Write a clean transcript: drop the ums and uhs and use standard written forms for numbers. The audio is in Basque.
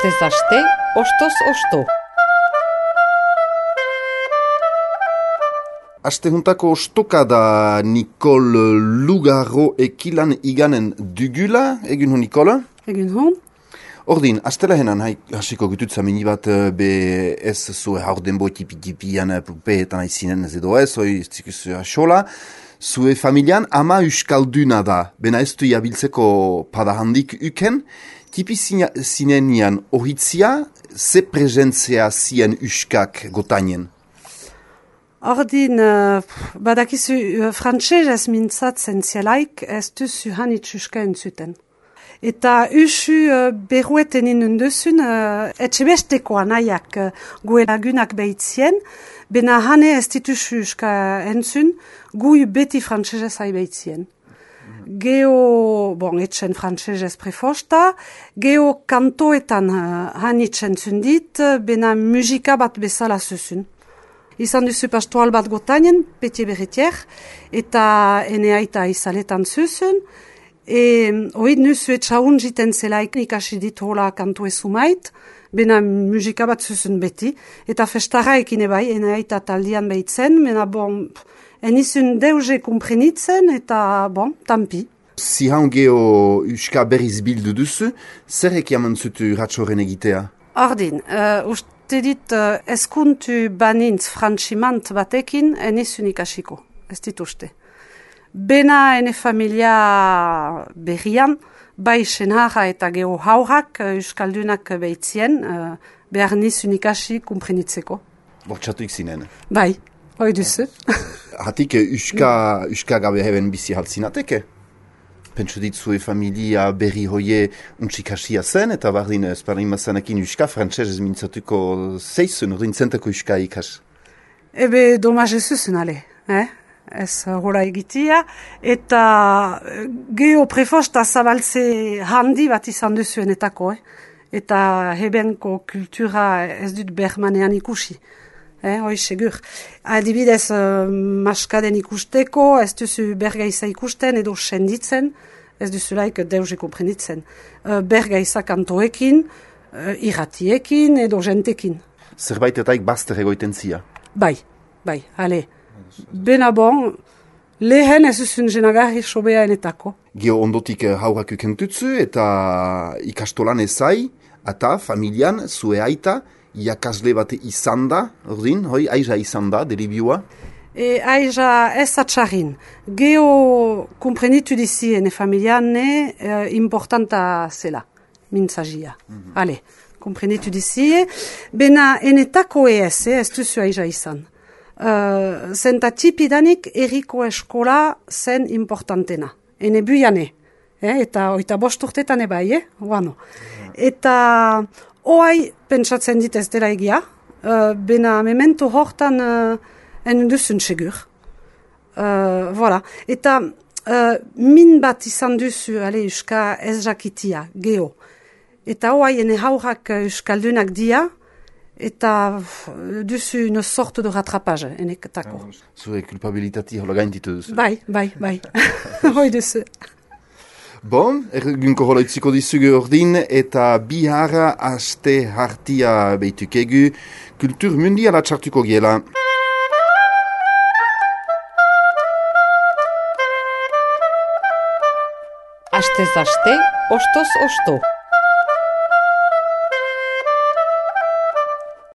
Astez aste, ostoz osto. Aste juntako ostoka da Nicole Lugarro ekilan iganen dugula, egin hon Nicole? Egin hon. Ordin, astela henan hasiko gututza mini bat be ez zue haurden boi tipi-tipian pupeetan aizinen ez edo ez, hoi zikus asola. Zue familian ama uskalduna da, bena ez du jabiltzeko padahandik uken, tipi zinenian ohitzia, ze prezentzea zien uskak gotainen? Ordin, badakizu frantsesez mintzatzen zielaik ez duzu hanitz uska entzuten. Eta usu berrueten inunduzun etxebestekoa nahiak gue lagunak behitzien, bena hane ez dituzu uska entzun, gui beti frantsesez hai behitzien. Geo, etxen frantsesez prefosta, geo kantoetan hanitz entzun dit, bena musika bat bezala zuzun. Izan duzu pastoral bat gotainen, peti berretier, eta ene aita izaletan zuzun, oid nuzu etxaun jiten zelaik ikasi dit hola kantu ezumait, bena musika bat zuzun beti, eta festara ekine bai, ene aita taldian behitzen, bena enizun deuze kumprenitzen, eta tampi. Zihan geo uska berriz bildu duzu, zer ekiaman zutu ratxoren egitea? Ordin, uste dit eskuntu banintz frantximant batekin enizun ikasiko, ez dit uste. Bena ene familia berrian, bai senharra eta geho haurak euskaldunak behitzien, behar nizun ikasi kumprenitzeko. Bortxatuik zinen? Bai, hoi duzu. Hatik uska gabe heben bizi haltzinateke? Pentsu ditzue familia berri hoie untxikasia zen, eta bardin ezparin mazanekin uska frantsesez mintzatuko zeizun, ordin zentako uska ikas? Ebe domaz ez zuzun ale, ez hola egitia, eta geho prefosta zabaltze handi bat izan duzuenetako, eta hebenko kultura ez dut bermanean ikusi. Hoi segur. Adibidez, maskaden ikusteko, ez duzu bergaiza ikusten edo senditzen, ez duzulaik deuze komprenitzen. Bergaiza kantoekin, irratiekin edo jentekin. Zerbait etaik bazter egoiten zia? Bai, ale. Bena lehen ez duzun jenagarri sobea enetako. Geo ondotik haurak ukentutzu eta ikastolan ezai, eta familian zue aita, iakasle bate izan da, ordin, hoi, aiza izan da, deribioa? Aiza ez atxarrin. Geo komprenitu dizi ene familian importanta zela, mintzagia. Ale, komprenitu dizi, bena enetako ez duzu aiza izan. Zenta tipidanik eriko eskola zen importantena. Ene buiane, eta oita bosturtetan ebai, guano. Eta oai pentsatzen dit ez dela egia, bena memento hortan en duzun segur. Voilà. Eta min bat izan duzu, uska ez jakitia, geho. Eta oai ene haurak uskaldunak dia, eta duzu une sorte de rattrapage, eneketako. Zure kulpabilitati hola gainditu duzu? Bai. Hoi duzu. Egunko holoitziko dizugu ordin, eta bihara aste hartia behitukegu, kultur mundiala txartuko giela. Astez aste, ostoz osto.